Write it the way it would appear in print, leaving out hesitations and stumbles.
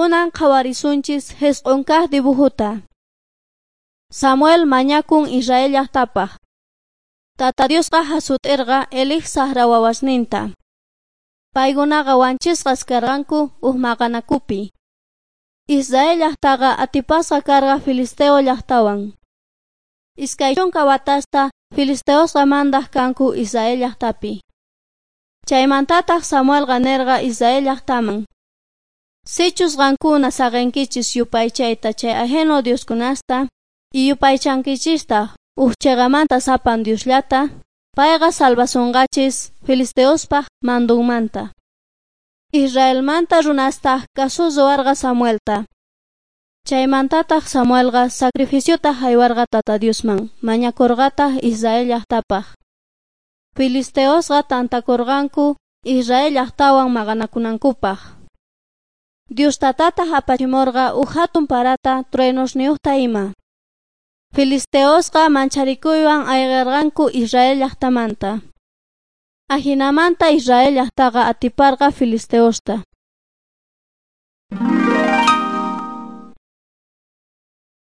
Kunan qhawarisunchis jisq'un kaq dibujuta. Samuel mañakun Israel llaqtapaq. Tata Diosqa hasut'irqa Elij saqra wawasninta. Paykunaqa wanchisqas karqanku uj maqanakupi. Israel llaqtaqa atipasqa karqa Filisteo llaqtawan. 20 watasta filisteosqa mandaq kanku Israel llaqtapi. Chaymantataq Samuelqa nerqa Israel llaqtaman: Sichus qankuna saqenkichis yupaychayta chay ajeno dioskunasta y yupaychankichistaq uj cheqamanta sapan Diosllata, payqa salvasonqachis filisteospaj mandunmanta. Israelmanta runastaq kasu ruwarqa Samuelta. Chaymantataq Samuelqa sacrificiota haywarqa Tata Diosman, mañakurqataq Israel llaqtapaq. Filisteosqa tantakurqanku Israel llaqtawan maqanakunankupaq. Dios tatataq apachimurqa uj hatun parata truenosniyuqta ima. Filisteosqa mancharikuywan ayqirqanku Israel llaqtamanta. Ajinamanta Israel llaqtaqa atiparqa filisteosta.